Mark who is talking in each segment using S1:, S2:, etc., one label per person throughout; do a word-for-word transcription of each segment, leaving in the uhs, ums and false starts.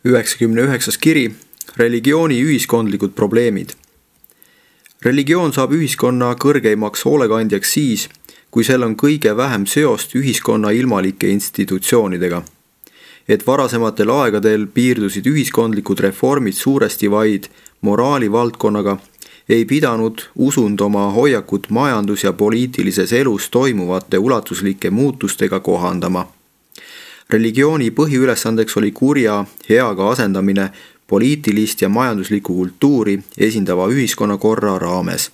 S1: üheksakümne üheksas kiri, religiooni ühiskondlikud probleemid. Religioon saab ühiskonna kõrgeimaks hoolekandjaks siis, kui sel on kõige vähem seost ühiskonna ilmalike institutsioonidega. Et varasematel aegadel piirdusid ühiskondlikud reformid suuresti vaid moraali valdkonnaga, ei pidanud usund oma hoiakut majandus- ja poliitilises elus toimuvate ulatuslike muutustega kohandama. Religiooni põhiülesandeks oli kurja heaga asendamine poliitilist ja majanduslikku kultuuri esindava ühiskonnakorra raames.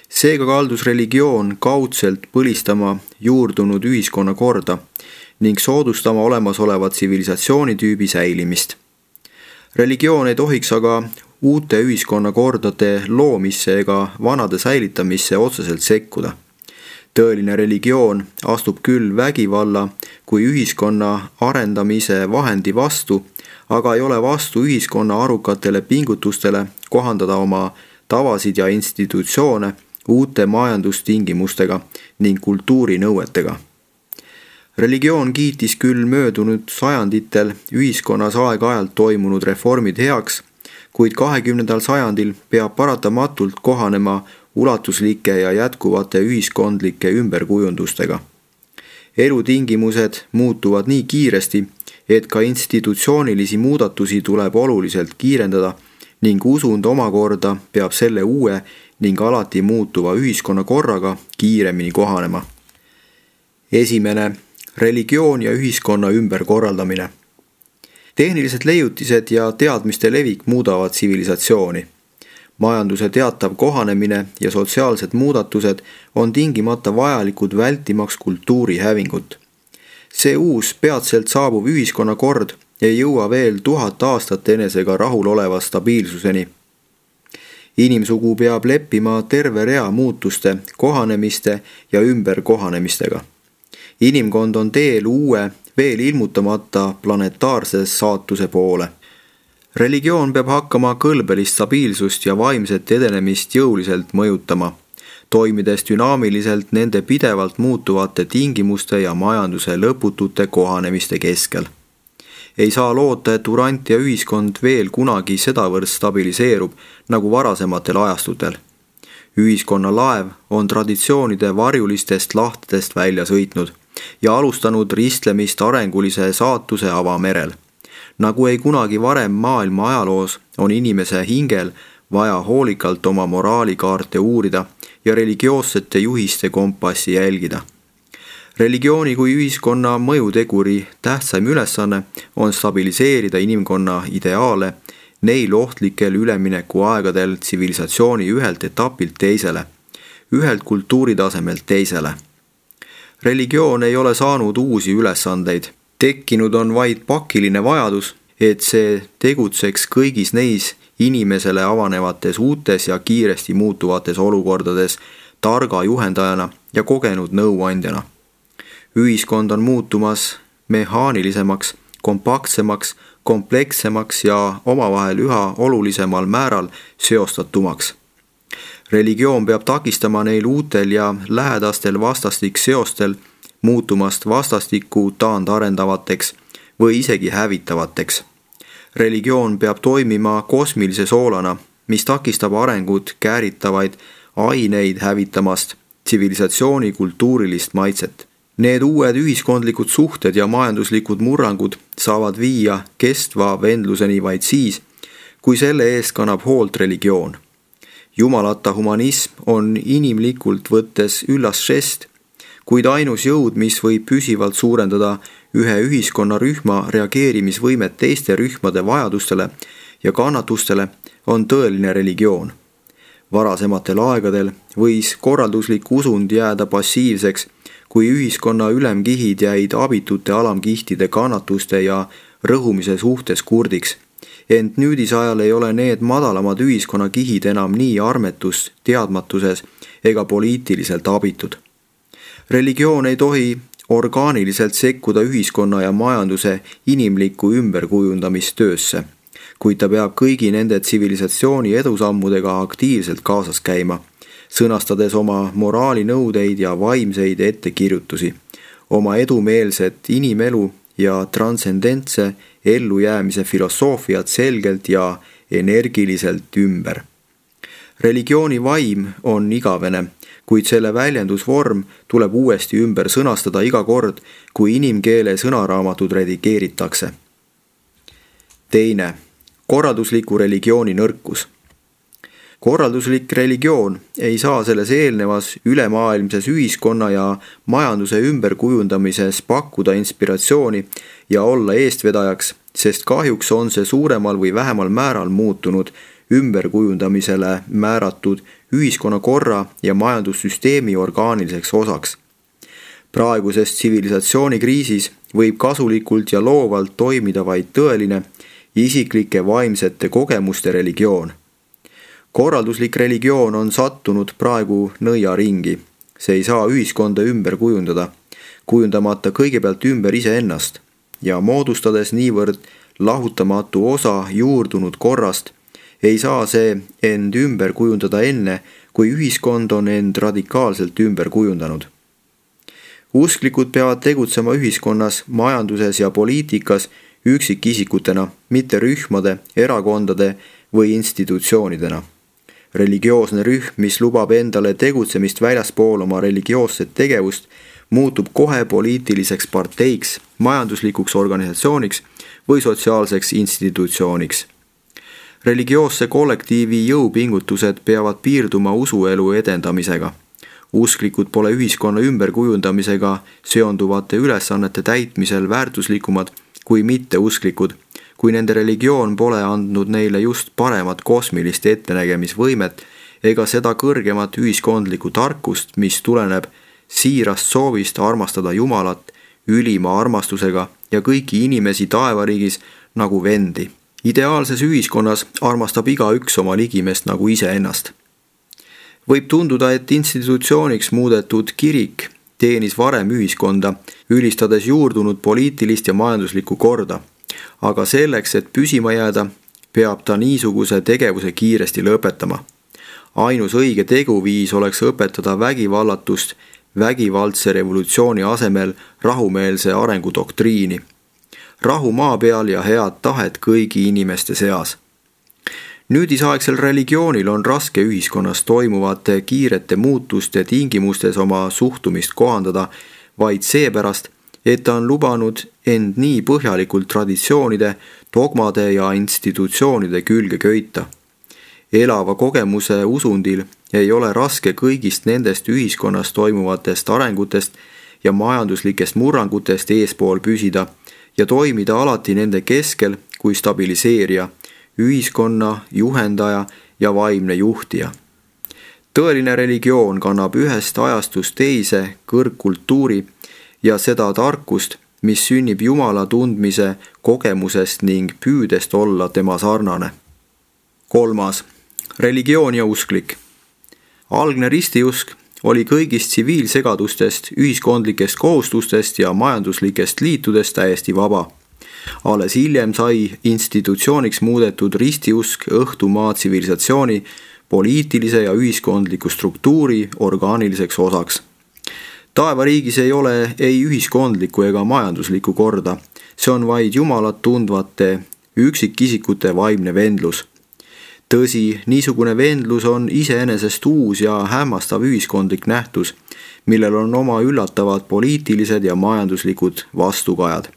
S1: Seega kaldus religioon kaudselt põlistama juurdunud ühiskonnakorda ning soodustama olemasoleva tsivilisatsioonitüübi säilimist. Religioon ei tohiks aga uute ühiskonnakordade loomisse ega vanade säilitamisse otseselt sekkuda. Tõeline religioon astub küll vägivalla kui ühiskonna arendamise vahendi vastu, aga ei ole vastu ühiskonna arukatele pingutustele kohandada oma tavasid ja institutsioone uute majandustingimustega ning kultuurinõuetega. Religioon kiitis küll möödunud sajanditel ühiskonnas aeg-ajalt toimunud reformid heaks, kuid kahekümnendal sajandil peab paratamatult kohanema ulatuslike ja jätkuvate ühiskondlike ümberkujundustega. Elutingimused muutuvad nii kiiresti, et ka institutsioonilisi muudatusi tuleb oluliselt kiirendada ning usund omakorda peab selle uue ning alati muutuva ühiskonnakorraga kiiremini kohanema. Esimene, religioon ja ühiskonna ümberkorraldamine. Tehnilised leiutised ja teadmiste levik muudavad tsivilisatsiooni. Majanduse teatav kohanemine ja sotsiaalsed muudatused on tingimata vajalikud vältimaks kultuuri hävingut. See uus peatselt saabuv ühiskonnakord ei jõua veel tuhat aastat enesega rahul oleva stabiilsuseni. Inimsugu peab leppima terve rea muutuste, kohanemiste ja ümberkohanemistega. Inimkond on teel uue, veel ilmutamata planetaarse saatuse poole. Religioon peab hakkama kõlbelist stabiilsust ja vaimset edenemist jõuliselt mõjutama, toimides dünaamiliselt nende pidevalt muutuvate tingimuste ja majanduse lõputute kohanemiste keskel. Ei saa loota, et Urantia ühiskond veel kunagi sedavõrd stabiliseerub nagu varasematel ajastutel. Ühiskonna laev on traditsioonide varjulistest lahtedest välja sõitnud ja alustanud ristlemist arengulise saatuse avamerel. Nagu ei kunagi varem maailma ajaloos on inimese hingel vaja hoolikalt oma moraalikaarte uurida ja religioossete juhiste kompassi jälgida. Religiooni kui ühiskonna mõjuteguri tähtsaim ülesanne on stabiliseerida inimkonna ideaale neil ohtlikel ülemineku aegadel tsivilisatsiooni ühelt etapilt teisele, ühelt kultuuritasemelt teisele. Religioon ei ole saanud uusi ülesandeid. Tekkinud on vaid pakiline vajadus, et see tegutseks kõigis neis inimesele avanevates uutes ja kiiresti muutuvates olukordades targa juhendajana ja kogenud nõuandjana. Ühiskond on muutumas mehaanilisemaks, kompaktsemaks, komplekssemaks ja omavahel üha olulisemal määral seostatumaks. Religioon peab takistama neil uutel ja lähedastel vastastik seostel muutumast vastastikku taandarendavateks või isegi hävitavateks. Religioon peab toimima kosmilise soolana, mis takistab arengut kääritavaid aineid hävitamast tsivilisatsiooni kultuurilist maitset. Need uued ühiskondlikud suhted ja majanduslikud murrangud saavad viia kestva vendluseni vaid siis, kui selle eest kannab hoolt religioon. Jumalata humanism on inimlikult võttes üllas žest, kuid ainus jõud, mis võib püsivalt suurendada ühe ühiskonnarühma reageerimisvõimet teiste rühmade vajadustele ja kannatustele, on tõeline religioon. Varasematel aegadel võis korralduslik usund jääda passiivseks, kui ühiskonna ülemkihid jäid abitute alamkihtide kannatuste ja rõhumise suhtes kurdiks. Ent nüüdisajal ei ole need madalamad ühiskonnakihid enam nii armetus, teadmatuses ega poliitiliselt abitud. Religioon ei tohi orgaaniliselt sekkuda ühiskonna ja majanduse inimlikku ümberkujundamistöösse, kuid ta peab kõigi nende tsivilisatsiooni edusammudega aktiivselt kaasas käima, sõnastades oma moraalinõudeid ja vaimseid ettekirjutusi, oma edumeelset inimelu ja transcendentse ellujäämise filosoofiat selgelt ja energiliselt ümber. Religiooni vaim on igavene, kuid selle väljendusvorm tuleb uuesti ümber sõnastada iga kord, kui inimkeele sõnaraamatud redigeeritakse. Teine, korraldusliku religiooni nõrkus. Korralduslik religioon ei saa selles eelnevas ülemaailmses ühiskonna ja majanduse ümberkujundamises pakkuda inspiratsiooni ja olla eestvedajaks, sest kahjuks on see suuremal või vähemal määral muutunud ümberkujundamisele määratud ühiskonnakorra ja majandussüsteemi orgaaniliseks osaks. Praeguses tsivilisatsioonikriisis võib kasulikult ja loovalt toimida vaid tõeline isiklike vaimsete kogemuste religioon. Korralduslik religioon on sattunud praegu nõiaringi. See ei saa ühiskonda ümber kujundada, kujundamata kõigepealt ümber iseennast ja moodustades niivõrd lahutamatu osa juurdunud korrast, ei saa see end ümber kujundada enne, kui ühiskond on end radikaalselt ümber kujundanud. Usklikud peavad tegutsema ühiskonnas, majanduses ja poliitikas üksikisikutena, mitte rühmade, erakondade või institutsioonidena. Religioosne rühm, mis lubab endale tegutsemist väljaspool oma religioosset tegevust, muutub kohe poliitiliseks parteiks, majanduslikuks organisatsiooniks või sotsiaalseks institutsiooniks. Religioosse kollektiivi jõupingutused peavad piirduma usuelu edendamisega. Usklikud pole ühiskonna ümberkujundamisega seonduvate ülesannete täitmisel väärtuslikumad kui mitteusklikud, kui nende religioon pole andnud neile just paremat kosmilist ettenägemisvõimet ega seda kõrgemat ühiskondlikku tarkust, mis tuleneb siirast soovist armastada Jumalat ülima armastusega ja kõiki inimesi taevariigis nagu vendi. Ideaalses ühiskonnas armastab igaüks oma ligimest nagu iseennast. Võib tunduda, et institutsiooniks muudetud kirik teenis varem ühiskonda, ülistades juurdunud poliitilist ja majanduslikku korda. Aga selleks, et püsima jääda, peab ta niisuguse tegevuse kiiresti lõpetama. Ainus õige teguviis oleks õpetada vägivallatust vägivaldse revolutsiooni asemel rahumeelse arengudoktriini. Rahu maa peal ja head tahet kõigi inimeste seas. Nüüdisaegsel religioonil on raske ühiskonnas toimuvate kiirete muutuste tingimustes oma suhtumist kohandada, vaid seepärast, et ta on lubanud end nii põhjalikult traditsioonide, dogmade ja institutsioonide külge köita. Elava kogemuse usundil ei ole raske kõigist nendest ühiskonnas toimuvatest arengutest ja majanduslikest murrangutest eespool püsida ja toimida alati nende keskel kui stabiliseerija, ühiskonna, juhendaja ja vaimne juhtija. Tõeline religioon kannab ühest ajastust teise kõrgkultuuri ja seda tarkust, mis sünnib Jumala tundmise kogemusest ning püüdest olla tema sarnane. Kolmas, religioon ja usklik. Algne ristiusk oli kõigist tsiviilsegadustest, ühiskondlikest kohustustest ja majanduslikest liitudest täiesti vaba. Alles hiljem sai institutsiooniks muudetud ristiusk õhtumaa tsivilisatsiooni, poliitilise ja ühiskondliku struktuuri orgaaniliseks osaks. Taevariigis ei ole ei ühiskondlikku ega majanduslikku korda, see on vaid Jumalat tundvate üksikisikute vaimne vendlus. Tõsi, niisugune vendlus on iseenesest uus ja hämmastav ühiskondlik nähtus, millel on oma üllatavad poliitilised ja majanduslikud vastukajad.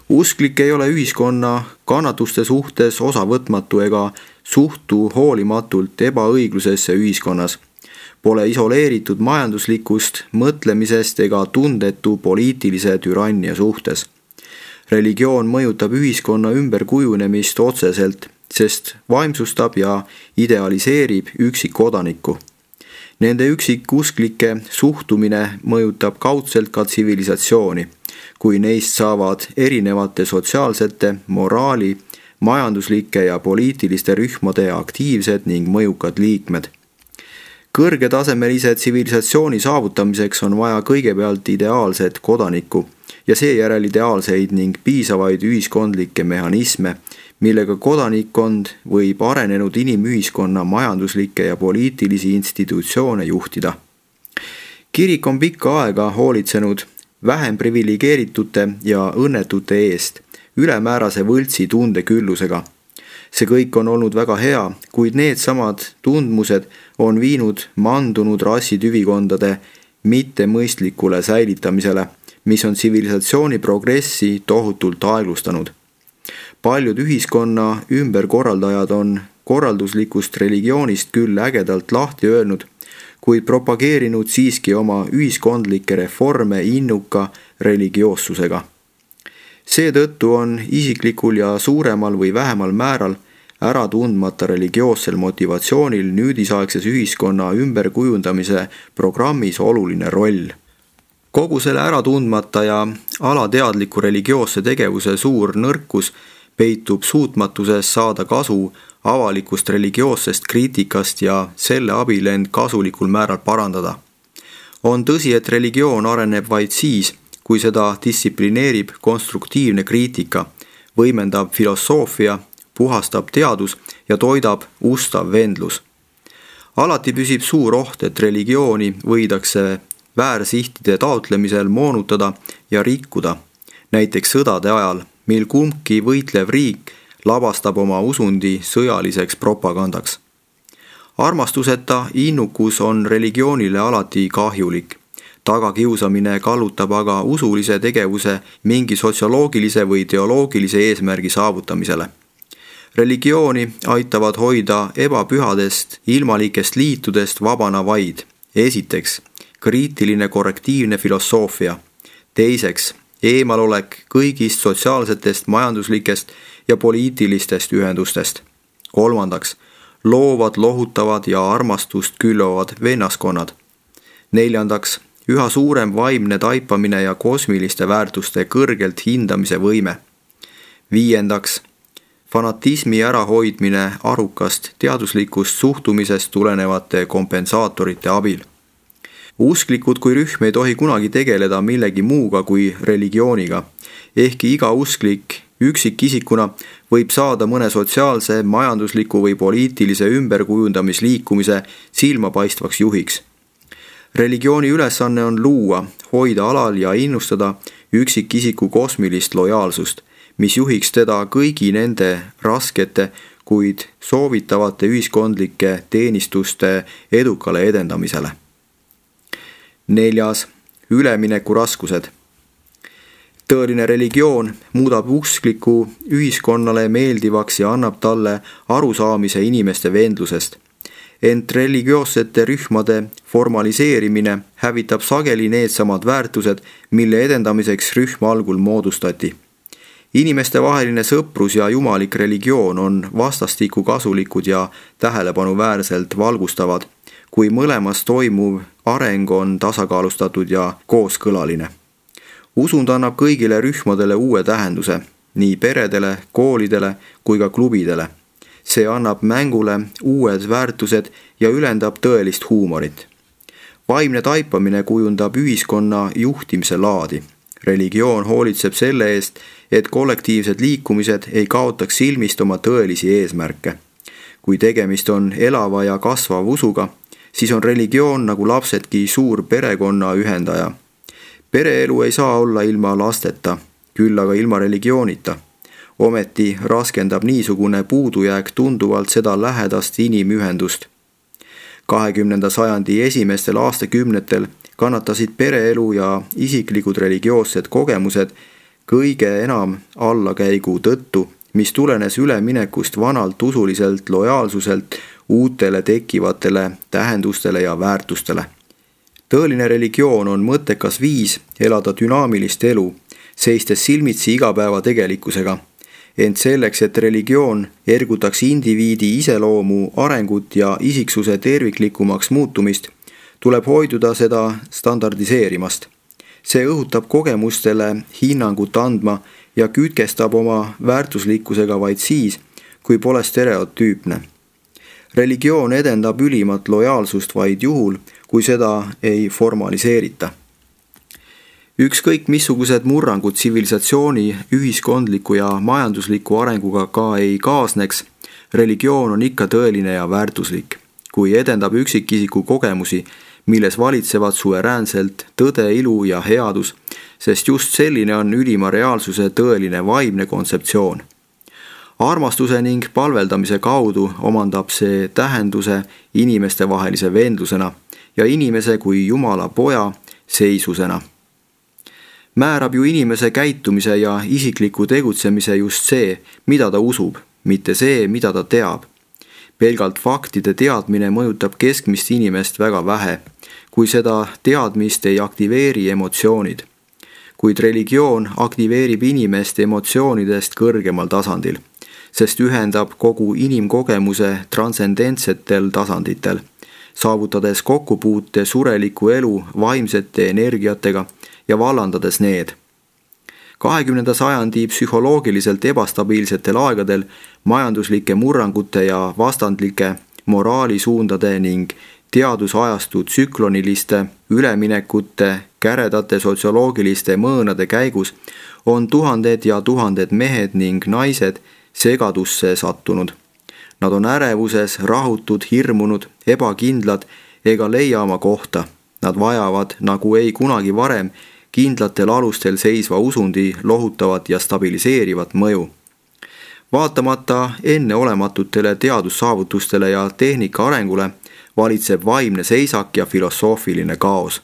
S1: Usklik ei ole ühiskonna kannatuste suhtes osavõtmatu ega suhtu hoolimatult ebaõiglusesse ühiskonnas. Pole isoleeritud majanduslikust mõtlemisest ega tundetu poliitilise türannia suhtes. Religioon mõjutab ühiskonna ümberkujunemist otseselt, sest vaimsustab ja idealiseerib üksikkodanikku. Nende üksikusklike suhtumine mõjutab kaudselt ka tsivilisatsiooni, kui neist saavad erinevate sotsiaalsete, moraali, majanduslike ja poliitiliste rühmade aktiivsed ning mõjukad liikmed. Kõrgetasemelise tsivilisatsiooni saavutamiseks on vaja kõigepealt ideaalset kodanikku ja seejärel ideaalseid ning piisavaid ühiskondlikke mehhanisme, millega kodanikkond võib arenenud inimühiskonna majanduslikke ja poliitilisi institutsioone juhtida. Kirik on pikka aega hoolitsenud vähem priviligeeritute ja õnnetute eest, ülemäärase võltsi tundeküllusega. See kõik on olnud väga hea, kuid needsamad tundmused on viinud mandunud rassitüvikondade mittemõistlikule säilitamisele, mis on tsivilisatsiooni progressi tohutult aeglustanud. Paljud ühiskonna ümberkorraldajad on korralduslikust religioonist küll ägedalt lahti öelnud, kuid propageerinud siiski oma ühiskondlikke reforme innuka religioossusega. Seetõttu on isiklikul ja suuremal või vähemal määral ära tundmata religioossel motivatsioonil nüüdisaegses ühiskonna ümberkujundamise programmis oluline roll. Kogu selle ära tundmata ja alateadliku religioosse tegevuse suur nõrkus peitub suutmatuses saada kasu avalikust religioossest kriitikast ja selle abil end kasulikul määral parandada. On tõsi, et religioon areneb vaid siis, kui seda distsiplineerib konstruktiivne kriitika, võimendab filosoofia, puhastab teadus ja toidab ustav vendlus. Alati püsib suur oht, et religiooni võidakse väärsihtide taotlemisel moonutada ja rikkuda, näiteks sõdade ajal, mil kumbki võitlev riik labastab oma usundi sõjaliseks propagandaks. Armastuseta innukus on religioonile alati kahjulik. Tagakiusamine kallutab aga usulise tegevuse mingi sotsioloogilise või teoloogilise eesmärgi saavutamisele. Religiooni aitavad hoida ebapühadest, ilmalikest liitudest vabana vaid. Esiteks, kriitiline korrektiivne filosoofia. Teiseks, eemalolek kõigist sotsiaalsetest, majanduslikest ja poliitilistest ühendustest. Kolmandaks, loovad, lohutavad ja armastust külvavad vennaskonnad. Neljandaks, üha suurem vaimne taipamine ja kosmiliste väärtuste kõrgelt hindamise võime. Viiendaks, fanatismi ärahoidmine arukast teaduslikust suhtumisest tulenevate kompensaatorite abil. Usklikud kui rühm ei tohi kunagi tegeleda millegi muuga kui religiooniga, ehkki iga usklik üksikisikuna võib saada mõne sotsiaalse, majandusliku või poliitilise ümberkujundamisliikumise silmapaistvaks juhiks. Religiooni ülesanne on luua, hoida alal ja innustada üksikisiku kosmilist lojaalsust, mis juhiks teda kõigi nende raskete, kuid soovitavate ühiskondlike teenistuste edukale edendamisele. Neljas, ülemineku raskused. Tõeline religioon muudab uskliku ühiskonnale meeldivaks ja annab talle arusaamise inimeste vendlusest. Ent religioossete rühmade formaliseerimine hävitab sageli needsamad väärtused, mille edendamiseks rühm algul moodustati. Inimeste vaheline sõprus ja jumalik religioon on vastastikku kasulikud ja tähelepanuväärselt valgustavad, kui mõlemas toimuv areng on tasakaalustatud ja kooskõlaline. Usund annab kõigile rühmadele uue tähenduse, nii peredele, koolidele kui ka klubidele. See annab mängule uued väärtused ja ülendab tõelist huumorit. Vaimne taipamine kujundab ühiskonna juhtimise laadi. Religioon hoolitseb selle eest, et kollektiivsed liikumised ei kaotaks silmist oma tõelisi eesmärke. Kui tegemist on elava ja kasvav usuga, siis on religioon nagu lapsedki suur perekonna ühendaja. Pereelu ei saa olla ilma lasteta, küll aga ilma religioonita. Ometi raskendab niisugune puudujääk tunduvalt seda lähedast inimühendust. kahekümnenda sajandi esimestel aastakümnetel kannatasid pereelu ja isiklikud religioossed kogemused kõige enam allakäigu tõttu, mis tulenes üleminekust vanalt usuliselt lojaalsuselt uutele tekkivatele tähendustele ja väärtustele. Tõeline religioon on mõttekas viis elada dünaamilist elu, seistes silmitsi igapäeva tegelikkusega. Ent selleks, et religioon ergutaks indiviidi iseloomu arengut ja isiksuse terviklikumaks muutumist, tuleb hoiduda seda standardiseerimast. See õhutab kogemustele hinnangut andma ja kütkestab oma väärtuslikkusega vaid siis, kui pole stereotüüpne. Religioon edendab ülimat lojaalsust vaid juhul, kui seda ei formaliseerita. Ükskõik missugused murrangud tsivilisatsiooni, ühiskondliku ja majandusliku arenguga ka ei kaasneks, religioon on ikka tõeline ja väärtuslik. Kui edendab üksikisiku kogemusi, milles valitsevad suveräänselt tõde, ilu ja headus, sest just selline on ülima reaalsuse tõeline vaimne kontseptsioon. Armastuse ning palveldamise kaudu omandab see tähenduse inimestevahelise vendlusena ja inimese kui Jumala poja seisusena. Määrab ju inimese käitumise ja isikliku tegutsemise just see, mida ta usub, mitte see, mida ta teab. Pelgalt faktide teadmine mõjutab keskmist inimest väga vähe, kui seda teadmist ei aktiveeri emotsioonid. Kuid religioon aktiveerib inimest emotsioonidest kõrgemal tasandil, sest ühendab kogu inimkogemuse transcendentsetel tasanditel, saavutades kokkupuute sureliku elu vaimsete energiatega ja vallandades need. kahekümnenda sajandi psühholoogiliselt ebastabiilsetel aegadel majanduslike murrangute ja vastandlike moraalisuundade ning teadusajastu tsükloniliste üleminekute käredate sotsioloogiliste mõõnade käigus on tuhanded ja tuhanded mehed ning naised segadusse sattunud. Nad on ärevuses, rahutud, hirmunud, ebakindlad ega leia oma kohta. Nad vajavad, nagu ei kunagi varem, kindlatel alustel seisva usundi lohutavat ja stabiliseerivat mõju. Vaatamata enneolematutele teadussaavutustele ja tehnika arengule valitseb vaimne seisak ja filosoofiline kaos.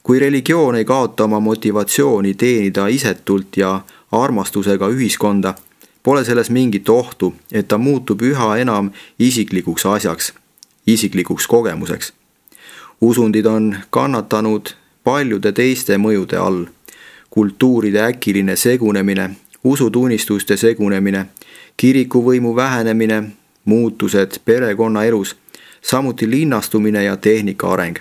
S1: Kui religioon ei kaota oma motivatsiooni teenida isetult ja armastusega ühiskonda, pole selles mingit ohtu, et ta muutub üha enam isiklikuks asjaks, isiklikuks kogemuseks. Usundid on kannatanud paljude teiste mõjude all. Kultuuride äkiline segunemine, usutunnistuste segunemine, kirikuvõimu vähenemine, muutused perekonnaelus, samuti linnastumine ja tehnika areng.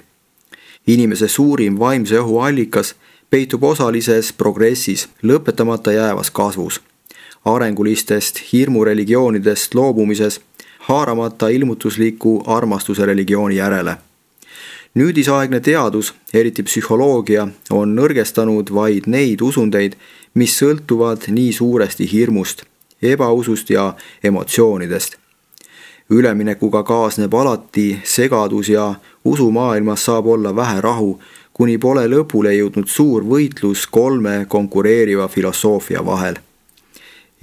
S1: Inimese suurim vaimse õhu allikas peitub osalises progressis, lõpetamata jäävas kasvus, arengulistest hirmureligioonidest loobumises, haaramata ilmutusliku armastuse religiooni järele. Nüüdisaegne teadus, eriti psühholoogia, on nõrgestanud vaid neid usundeid, mis sõltuvad nii suuresti hirmust, ebausust ja emotsioonidest. Üleminekuga kaasneb alati segadus ja usumaailmas saab olla vähe rahu, kuni pole lõpule jõudnud suur võitlus kolme konkureeriva filosoofia vahel.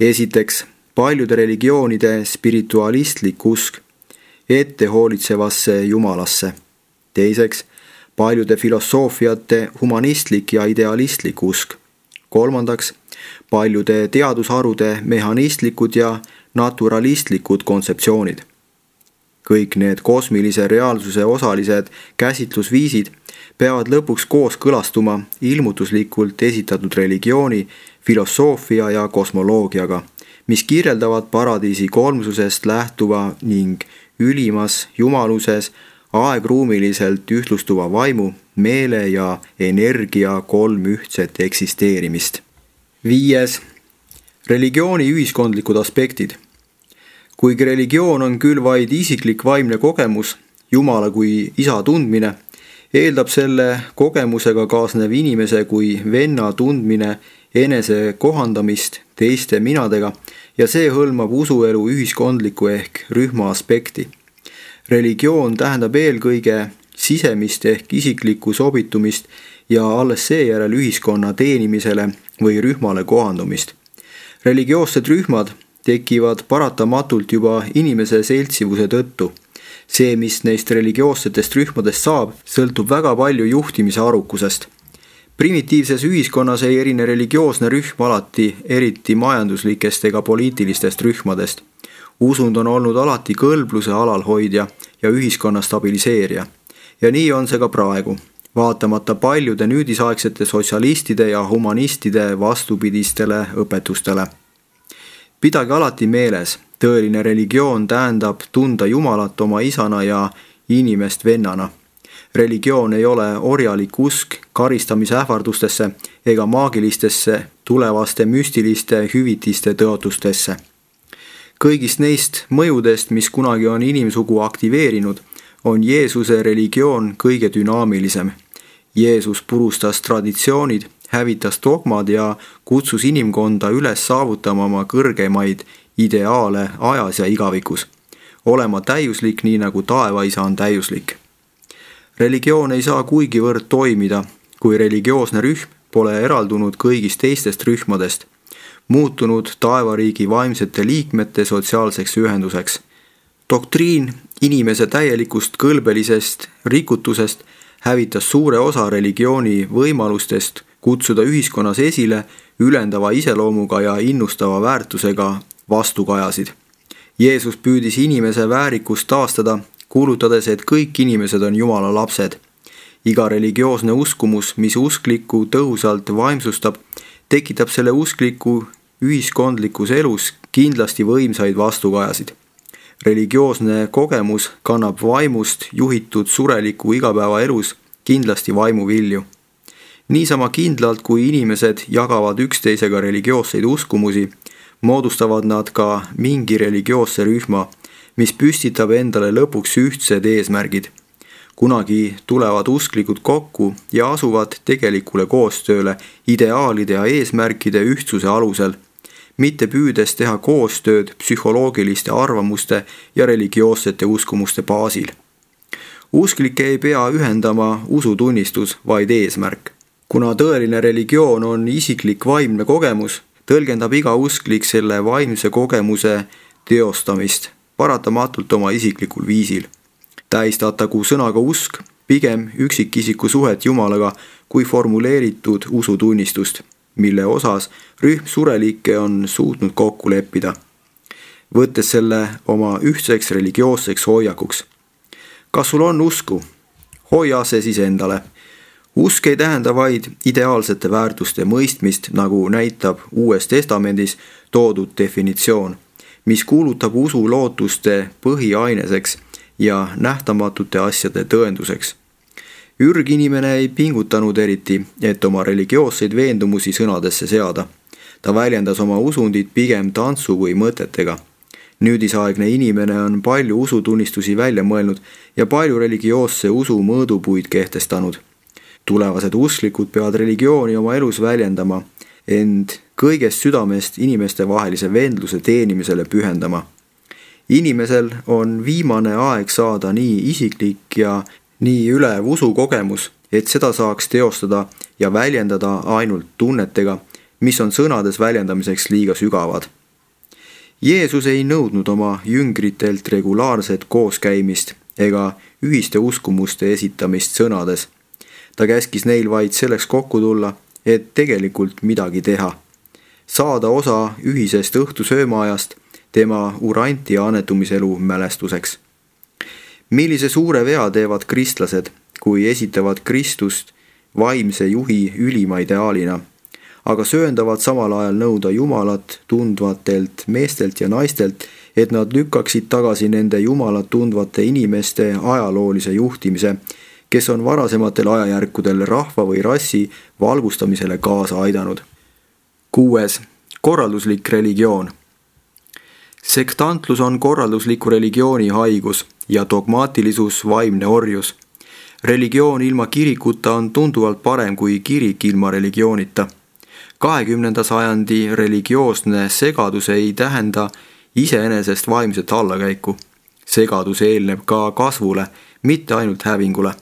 S1: Esiteks, paljude religioonide spiritualistlik usk ette hoolitsevasse Jumalasse. Teiseks, paljude filosoofiate humanistlik ja idealistlik usk. Kolmandaks, paljude teadusharude mehhanistlikud ja naturalistlikud kontseptsioonid. Kõik need kosmilise reaalsuse osalised käsitlusviisid peavad lõpuks koos kõlastuma ilmutuslikult esitatud religiooni, filosoofia ja kosmoloogiaga, mis kirjeldavad paradiisi kolmsusest lähtuva ning ülimas jumaluses aegruumiliselt ühtlustuva vaimu, meele ja energia kolm ühtset eksisteerimist. Viies. Religiooni ühiskondlikud aspektid. Kuigi religioon on küll vaid isiklik vaimne kogemus, Jumala kui isa tundmine, eeldab selle kogemusega kaasnev inimese kui venna tundmine enese kohandamist teiste minadega ja see hõlmab usuelu ühiskondliku ehk rühma aspekti. Religioon tähendab eelkõige sisemist ehk isiklikku sobitumist ja alles seejärel ühiskonna teenimisele või rühmale kohandumist. Religioossed rühmad tekivad paratamatult juba inimese seltsivuse tõttu. See, mis neist religioossetest rühmadest saab, sõltub väga palju juhtimise arukusest. Primitiivses ühiskonnas ei erine religioosne rühm alati eriti majanduslikest ega poliitilistest rühmadest. Usund on olnud alati kõlbluse alalhoidja ja ühiskonna stabiliseerija. Ja nii on see ka praegu, vaatamata paljude nüüdisaegsete sotsialistide ja humanistide vastupidistele õpetustele. Pidage alati meeles, tõeline religioon tähendab tunda Jumalat oma isana ja inimest vennana. Religioon ei ole orjalik usk karistamise ähvardustesse ega maagilistesse tulevaste müstiliste hüvitiste tõotustesse. Kõigist neist mõjudest, mis kunagi on inimsugu aktiveerinud, on Jeesuse religioon kõige dünaamilisem. Jeesus purustas traditsioonid, hävitas dogmad ja kutsus inimkonda üles saavutama oma kõrgemaid ideaale ajas ja igavikus, olema täiuslik nii nagu taevaisa on täiuslik. Religioon ei saa kuigivõrd toimida, kui religioosne rühm pole eraldunud kõigist teistest rühmadest, muutunud taevariigi vaimsete liikmete sotsiaalseks ühenduseks. Doktriin inimese täielikust kõlbelisest rikutusest hävitas suure osa religiooni võimalustest kutsuda ühiskonnas esile ülendava iseloomuga ja innustava väärtusega vastukajasid. Jeesus püüdis inimese väärikust taastada, kuulutades, et kõik inimesed on Jumala lapsed. Iga religioosne uskumus, mis usklikku tõhusalt vaimsustab, tekitab selle uskliku ühiskondlikus elus kindlasti võimsaid vastukajasid. Religioosne kogemus kannab vaimust juhitud sureliku igapäevaelus kindlasti vaimuvilju. Niisama kindlalt, kui inimesed jagavad üksteisega religioosseid uskumusi, moodustavad nad ka mingi religioosse rühma, mis püstitab endale lõpuks ühtsed eesmärgid. Kunagi tulevad usklikud kokku ja asuvad tegelikule koostööle ideaalide ja eesmärkide ühtsuse alusel, mitte püüdes teha koostööd psühholoogiliste arvamuste ja religioossete uskumuste baasil. Usklikke ei pea ühendama usutunnistus, vaid eesmärk. Kuna tõeline religioon on isiklik vaimne kogemus, tõlgendab iga usklik selle vaimse kogemuse teostamist paratamatult oma isiklikul viisil. Tähistatagu sõnaga usk pigem üksikisiku suhet Jumalaga kui formuleeritud usutunnistust, mille osas rühm surelikke on suutnud kokku leppida, võttes selle oma ühtseks religioosseks hoiakuks. Kas sul on usku? Hoia see siis endale. Usk ei tähenda vaid ideaalsete väärtuste mõistmist, nagu näitab Uues Testamendis toodud definitsioon, mis kuulutab usu lootuste põhiaineseks ja nähtamatute asjade tõenduseks. Ürginimene ei pingutanud eriti, et oma religioosseid veendumusi sõnadesse seada. Ta väljendas oma usundit pigem tantsu või mõtetega. Nüüdisaegne inimene on palju usutunnistusi välja mõelnud ja palju religioosse usu mõõdupuid kehtestanud. Tulevased usklikud peavad religiooni oma elus väljendama, ent kõigest südamest inimeste vahelise vendluse teenimisele pühendama. Inimesel on viimane aeg saada nii isiklik ja nii ülev usukogemus, et seda saaks teostada ja väljendada ainult tunnetega, mis on sõnades väljendamiseks liiga sügavad. Jeesus ei nõudnud oma jüngritelt regulaarset kooskäimist ega ühiste uskumuste esitamist sõnades. Ta käskis neil vaid selleks kokku tulla, et tegelikult midagi teha. Saada osa ühisest õhtusöömaajast tema uranti annetumiselu mälestuseks. Millise suure vea teevad kristlased, kui esitavad Kristust vaimse juhi ülima ideaalina, aga sööndavad samal ajal nõuda Jumalat tundvatelt meestelt ja naistelt, et nad lükkaksid tagasi nende Jumalat tundvate inimeste ajaloolise juhtimise, kes on varasematel ajajärkudel rahva või rassi valgustamisele kaasa aidanud. Kuues. Korralduslik religioon. Sektantlus on korraldusliku religiooni haigus ja dogmaatilisus vaimne orjus. Religioon ilma kirikuta on tunduvalt parem kui kirik ilma religioonita. kahekümnenda sajandi religioosne segadus ei tähenda iseenesest vaimset allakäiku. Segadus eelneb ka kasvule, mitte ainult hävingule.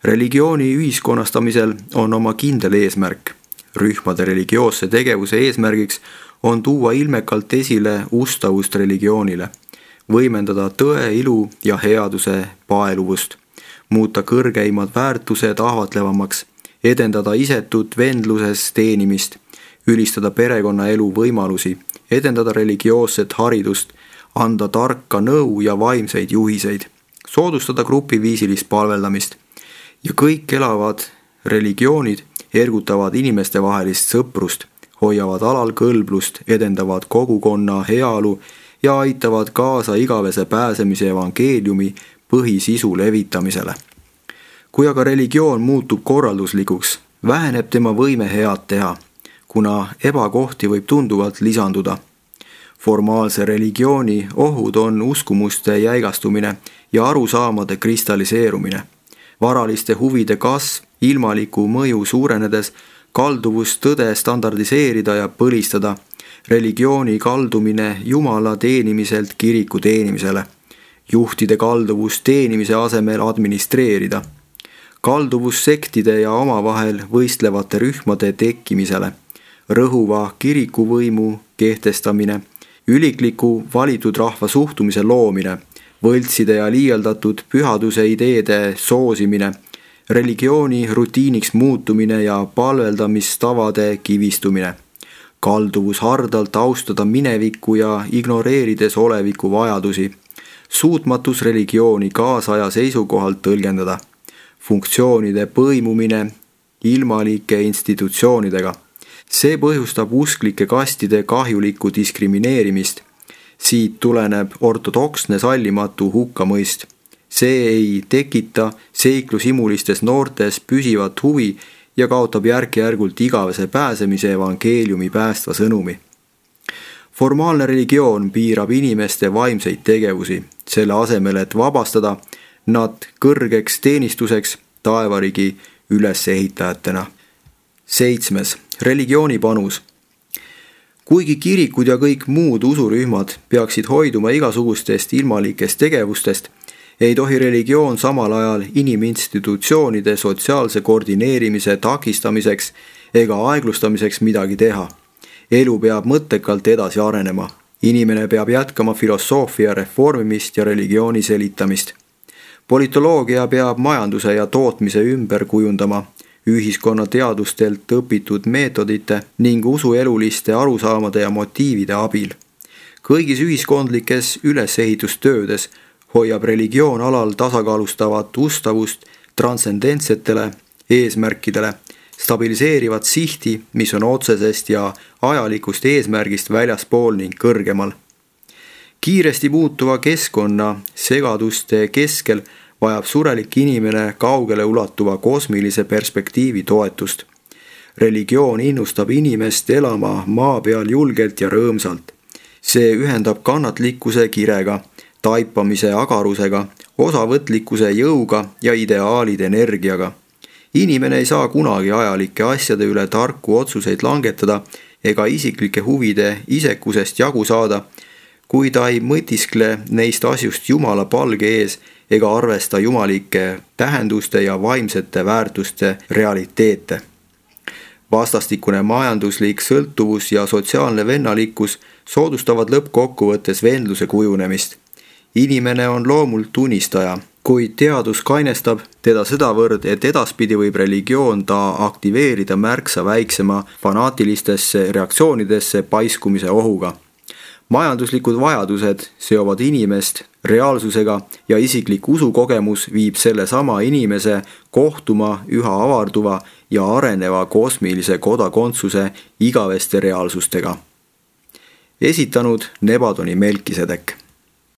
S1: Religiooni ühiskonnastamisel on oma kindel eesmärk. Rühmade religioosse tegevuse eesmärgiks on tuua ilmekalt esile ustavust religioonile, võimendada tõe, ilu ja headuse paeluvust, muuta kõrgeimad väärtused ahvatlevamaks, edendada isetut vendluses teenimist, ülistada perekonnaelu võimalusi, edendada religioosset haridust, anda tarka nõu ja vaimseid juhiseid, soodustada grupiviisilist palveldamist. Ja kõik elavad religioonid ergutavad inimeste vahelist sõprust, hoiavad alal kõlblust, edendavad kogukonna heaolu ja aitavad kaasa igavese pääsemise evangeeliumi põhisisu levitamisele. Kui aga religioon muutub korralduslikuks, väheneb tema võime head teha, kuna ebakohti võib tunduvalt lisanduda. Formaalse religiooni ohud on uskumuste jäigastumine ja arusaamade kristalliseerumine. Varaliste huvide kasv, ilmaliku mõju suurenedes, kalduvus tõde standardiseerida ja põlistada, religiooni kaldumine Jumala teenimiselt kiriku teenimisele, juhtide kalduvus teenimise asemel administreerida. kalduvus sektide ja omavahel võistlevate rühmade tekkimisele, rõhuva kirikuvõimu kehtestamine, ülikliku valitud rahva suhtumise loomine, võltside ja liialdatud pühaduse ideede soosimine, religiooni rutiiniks muutumine ja palveldamistavade kivistumine, kalduvus hardalt austada minevikku ja ignoreerides oleviku vajadusi, suutmatus religiooni kaasaja seisukohalt tõlgendada, funktsioonide põimumine ilmalike institutsioonidega. See põhjustab usklike kastide kahjulikku diskrimineerimist. Siit tuleneb ortodoksne sallimatu hukkamõist. See ei tekita seiklusimulistes noortes püsivat huvi ja kaotab järk-järgult igavese pääsemise evangeeliumi päästva sõnumi. Formaalne religioon piirab inimeste vaimseid tegevusi, selle asemel, et vabastada nad kõrgeks teenistuseks taevarigi ülesehitajatena. Seitsmes. Religiooni panus. Kuigi kirikud ja kõik muud usurühmad peaksid hoiduma igasugustest ilmalikest tegevustest, ei tohi religioon samal ajal iniminstitutsioonide sotsiaalse koordineerimise takistamiseks ega aeglustamiseks midagi teha. Elu peab mõttekalt edasi arenema. Inimene peab jätkama filosoofia reformimist ja religiooni selitamist. Politoloogia peab majanduse ja tootmise ümber kujundama, ühiskonna teadustelt õpitud meetodite ning usueluliste arusaamade ja motiivide abil. Kõigis ühiskondlikes ülesehitustöödes hoiab religioon alal tasakaalustavat ustavust transcendentsetele eesmärkidele, stabiliseerivat sihti, mis on otsesest ja ajalikust eesmärgist väljaspool ning kõrgemal. Kiiresti muutuva keskkonna segaduste keskel vajab surelik inimene kaugele ulatuva kosmilise perspektiivi toetust. Religioon innustab inimest elama maa peal julgelt ja rõõmsalt. See ühendab kannatlikkuse kirega, taipamise agarusega, osavõtlikkuse jõuga ja ideaalide energiaga. Inimene ei saa kunagi ajalike asjade üle tarku otsuseid langetada ega isiklike huvide isekusest jagu saada, kui ta ei mõtiskle neist asjust Jumala palge ees ega arvesta jumalike tähenduste ja vaimsete väärtuste realiteete. Vastastikune majanduslik sõltuvus ja sotsiaalne vennalikkus soodustavad lõppkokkuvõttes vendluse kujunemist. Inimene on loomult unistaja, kuid teadus kainestab teda sedavõrd, et edaspidi võib religioon ta aktiveerida märksa väiksema fanaatilistesse reaktsioonidesse paiskumise ohuga. Majanduslikud vajadused seovad inimest reaalsusega ja isiklik usukogemus viib selle sama inimese kohtuma üha avarduva ja areneva kosmilise kodakondsuse igaveste reaalsustega. Esitanud Nebadoni Melkisedek.